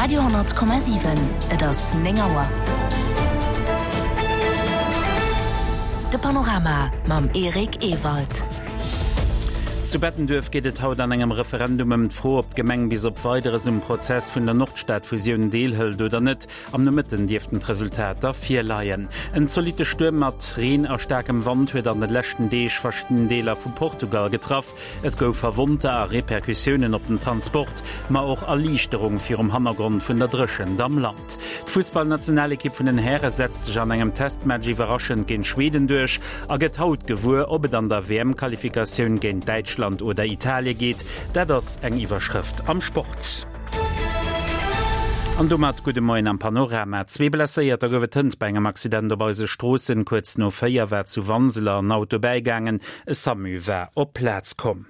Radio,7 Et ass 9 Auer. De Panorama mam Eric Ewald. Zu Bettenduerf geet et haut an engem Referendum ëm d'Fro, ob d'Gemeng bis op Weideres um Prozess vun der Nordstadfusioun deelhëlt oder net. Am Nomëtten dierften d'Resultater virleien. En zolitte Stuerm mat Reen a staarkem Wand huet an de leschten Deeg verschidden Deeler vu Portugal getraff. Et gouf Verwonnter a Repercussiounen op den Transport, ma och Erliichterung virum Hannergrond vun der Dréchent am Land. D'Fussballnationalekipp vun den Häre setzt sech an engem Testmatch iwwerraschend géint Schweden duerch a gëtt haut gewuer, ob et an der WM-Qualifikatioun géint Däitschland oder Italie geet. Dat ass eng Iwwerschrëft am Sport. An domat gudde Moien am Panorama. Zwee Blesséierter gouf et hënt bei engem Accident op eise Stroossen. Kuerz no 4 war zu Wanseler en Auto bäigaangen. E Samu war op d'Plaz komm.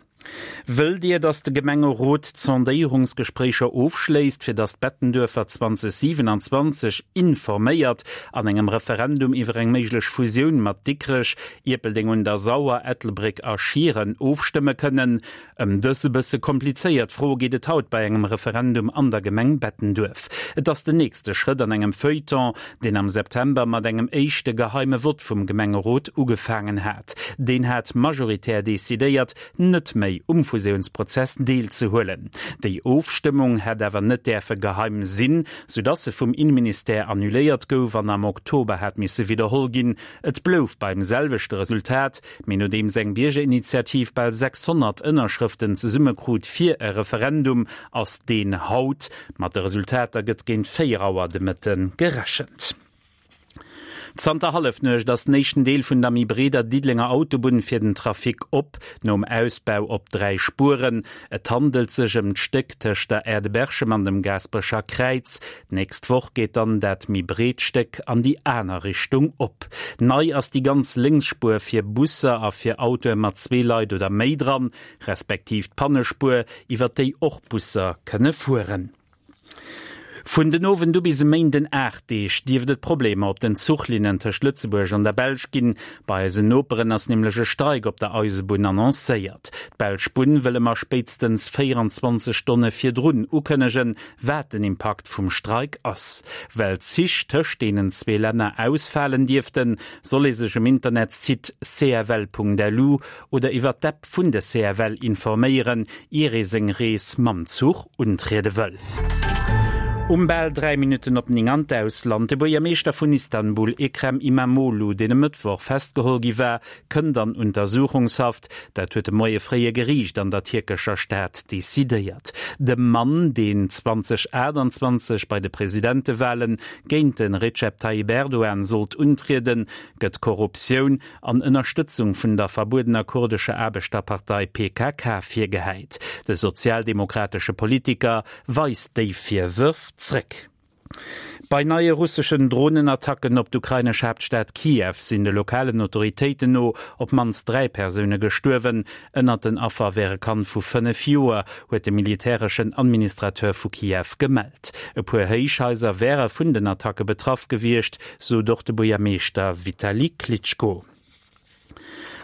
Wëllt Dir, datt de Gemengerot d'Sondéierungsgespréicher ofschléisst, fir datt d'Bettenduerfer 2027 informéiert an engem Referendum iwwer eng méiglech Fusioun mat Dikrech, Ierpeldeng un der Sauer, Ettelbréck a Schieren ofstëmme kënnen? Ëm dës e bësse komplizéiert Fro geet et haut bei engem Referendum an der Gemeng Bettenduerf. Et ass den nächste Schrëtt an engem Feuilleton, deen am September mat engem éischte geheime Vott vum Gemengerot ugefaangen hat. Deen hat majoritär decidéiert, net méi um Fusiounsprozess deelzehuelen. Déi Ofstëmmung hätt awer net däerfe geheim sinn, soudass se vum Inneministère annuléiert gouf an am Oktober hat misse widderholl ginn. Et blouf beim selwechte Resultat, Mee nodeems eng Biergerinitiativ bal 600 Ënnerschrëften zesummekrut fir e Referendum, ass deen haut. Mat de Resultater gëtt géint 4 Auer de Mëtte gerechent. Zanter Hallefnuecht ass den éischten Deel vun der méi breeder Diddelenger Autobunn fir den Trafic op, nom Ausbau op 3 Spueren. Et handelt sech ëm d'Stéck tëscht der Aire de Berchem an dem Gaasperecher Kräiz. D'nächst Woch geet dann dat méi breet Stéck an déi aner Richtung op. Nei ass déi ganz Lénksspuer fir Busser a fir Autoe mat zwee Leit oder méi dran, respektiv d'Pannespuer, iwwer déi och Busser kënne fueren. Vun den Owend u bis e Méinden 8 Deeg dierft et Problemer op den Zuchlinnen tëscht Lëtzebuerg an der Belsch ginn. Bei eisen Noperen ass nämlech e Streik op der Eisebunn annoncéiert. D'belsch Bunn wëll ëmmer spéitstens 24 Stonne virdrun ukënnegen, wat den Impakt vum Streik ass. Well d'Zich tëscht deenen zwee Länner ausfalen dierften, soll ee sech um Internetsite cfl.lu oder iwwer d'App vun de CFL informéieren, ier ee seng Rees mam Zuch untriede wëll. Um bal 3 Minutten op 9 an d'Ausland, De Buergermeeschter vun Istanbul, Ekrem Imamoglu, deen e Mëttwoch festgeholl gi war, kënnt an Untersuchungshaft. Dat huet de Moie fréi e Geriicht an der tierkescher Stad decidéiert. Dem Mann, deen 2028 bei de Presidentewale géint de Recep Tayyip Erdogan sollt untrieden, gëtt Korruptioun an Ënnerstëtzung vun der verbuedener kurdescher Aarbechterpartei PKK virgehäit. De sozialdemokratesche Politiker weist déi Virwërf zréck. Bei neie russeschen Dronenattacken op d'ukrainesch Haaptstad Kiew sinn de lokalen Autoritéiten no op d'mannst 3 Persoune gestuerwen. Ënnert den Affer wär e Kand vu 5 Joer, huet de militäreschen Administrateur vu Kiew gemellt. E puer Héichhaiser wäre vun den Attacke betraff gewiescht, sot och de Buergermeeschter Vitali Klitschko.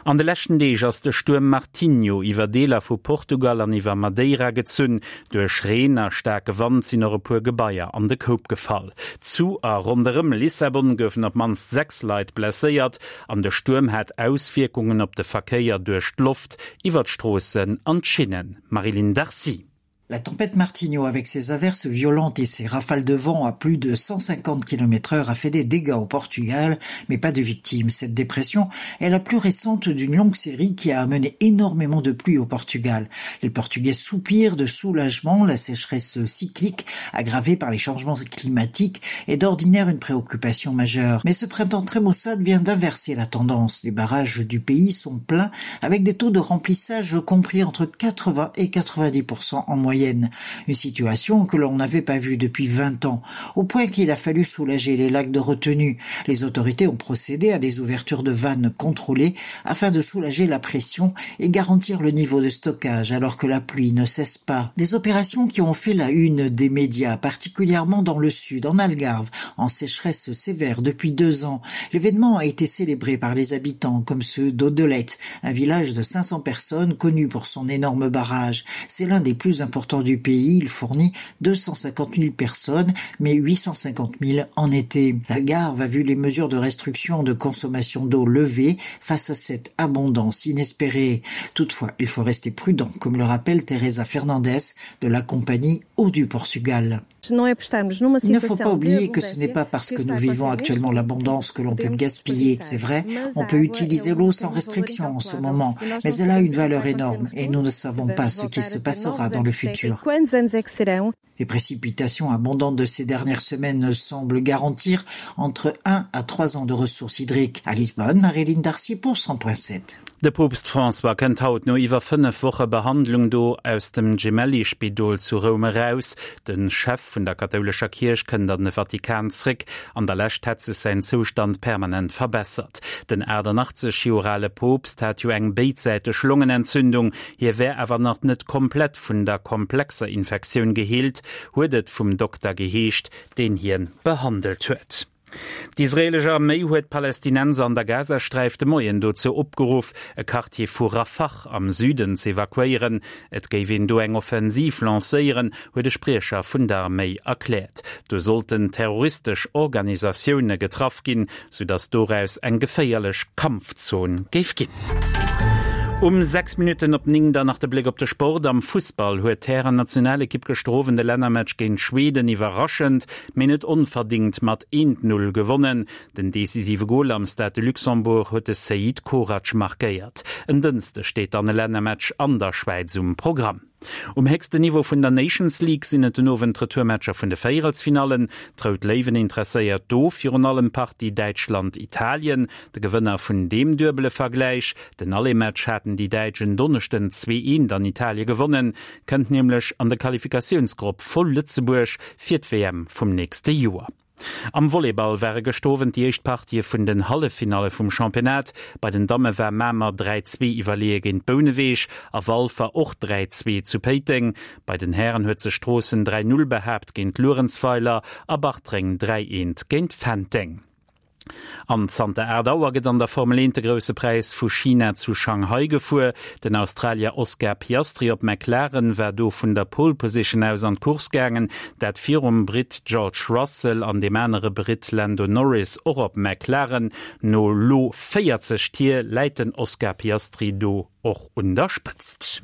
An de leschten Deeg ass de Stuerm Martinho iwwer Deeler vu Portugal an iwwer Madeira gezunn. Duerch Reen a staarke Wand sinn och e puer Gebaier an de Koup gefall. Zu a ronderëm Lissabon goufen op d'mannst 6 Leit blesséiert an de Stuerm hat Auswierkungen op de Verkéier duerch d'Loft, iwwer d'Stroossen an d'Schinnen. Marie-Line Darcy. La tempête Martinho avec ses averses violentes et ses rafales de vent à plus de 150 km heure a fait des dégâts au Portugal, mais pas de victimes. Cette dépression est la plus récente d'une longue série qui a amené énormément de pluie au Portugal. Les Portugais soupirent de soulagement, la sécheresse cyclique aggravée par les changements climatiques est d'ordinaire une préoccupation majeure. Mais ce printemps très maussade vient d'inverser la tendance. Les barrages du pays sont pleins avec des taux de remplissage compris entre 80 et 90% en moyenne. Une situation que l'on n'avait pas vue depuis 20 ans, au point qu'il a fallu soulager les lacs de retenue. Les autorités ont procédé à des ouvertures de vannes contrôlées afin de soulager la pression et garantir le niveau de stockage alors que la pluie ne cesse pas. Des opérations qui ont fait la une des médias, particulièrement dans le sud, en Algarve, en sécheresse sévère depuis deux ans. L'événement a été célébré par les habitants comme ceux d'Odelette, un village de 500 personnes connu pour son énorme barrage. C'est l'un des plus importants. important du pays. Il fournit 250 000 personnes, mais 850 000 en été. L'Algarve a vu les mesures de restriction de consommation d'eau levées face à cette abondance inespérée. Toutefois, il faut rester prudent, comme le rappelle Teresa Fernandez de la compagnie Eau du Portugal. Il ne faut pas oublier que ce n'est pas parce que nous vivons actuellement l'abondance que l'on peut gaspiller. C'est vrai, on peut utiliser l'eau sans restriction en ce moment, mais elle a une valeur énorme et nous ne savons pas ce qui se passera dans le futur. Les précipitations abondantes de ces dernières semaines semblent garantir entre 1 à 3 ans de ressources hydriques. À Lisbonne, Marilyn Darcy pour 100.7. De Poopst François kënnt haut no iwwer 5 Woche Behandlung do aus dem Gemelli-Spidol zu Roum eraus. De Chef vun der kathoulescher Kierch kënnt an de Vatikan zréck. An der Lescht hätt sech säin Zoustand permanent verbessert. Den 88 Joer ale Poopst hat jo eng béidsäiteg Longenentzündung. Hie wär awer nach net komplett vun der komplexer Infektioun geheelt, huet et vum Dokter geheescht, deen hien behandelt huet. D'israeelesch Arméi huet d'Palästinenser an der Gazasträif de Moien dozou opgeruff, e Quartier vu Rafah am Süden z'evakuéieren. Et géif een do eng Offensiv lancéieren, huet e Spriecher vun der Arméi erkläert. Do sollten terroristesch Organisatioune getraff ginn, soudatt doraus eng geféierlech Kampfzon géif ginn. Um 6 Minutten op 9 dann nach de Bléck op de Sport. Am Fussball huet d'Hären-Nationalekipp gëschter Owend de Lännermatch géint Schweden iwwerraschend mee net onverdingt mat 1, 0 gewonnen. Den decisive Gol am Stade de Luxembourg huet de Seid Korac markéiert. En Dënschdeg steet dann e Lännermatch an der Schwäiz um Programm. Um héchsten Niveau vun der Nations League sinn et den Owend d'Retourmatcher vun de Véierelsfinallen. D'Rout Léiwen interesséiert do virun allem d'Partie Däitschland-Italien. De Gewënner vun deem duebele Vergläich, den Aller-Match haten déi Däitsch en Donneschden 2, 1 an Italie gewonnen, kënnt nämlech an de Qualifikatiounsgrupp voll Lëtzebuerg fir d'WM vum nächste Joer. Am Volleyball ware gëscht Owend déi éischt Partië vun den Halleffinalle vum Championnat. Bei den Damme war Mamer 3, 2 iwwerleeë géint Bouneweg a Walfer och 3, 2 zu Péiteng. Bei den Hären huet sech Stroossen 3, 0 behaapt géint Luerenzweiler a Bartreng 3, 1 géint Fenteng. An zanter 8 Auer gëtt an der Formel 1 de Grousse Präis vu China zu Shanghai gefuer. Den Australier Oscar Piastri op McLaren war do vun der Pole Position aus an d'Course gaangen, dat virum Britt George Russell an deem anere Britt Lando Norris och op McLaren. No lo 40 Tier läit den Oscar Piastri do Och un der Spëtzt.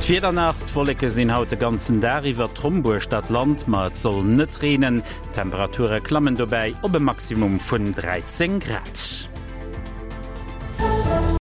D'Wieder nach, D'Wolleke sinn haut de ganzen Dag iwwer trombuecht dat Land, ma et soll net reenen. D'Temperature klammen dobäi op e Maximum vun 13 Grad.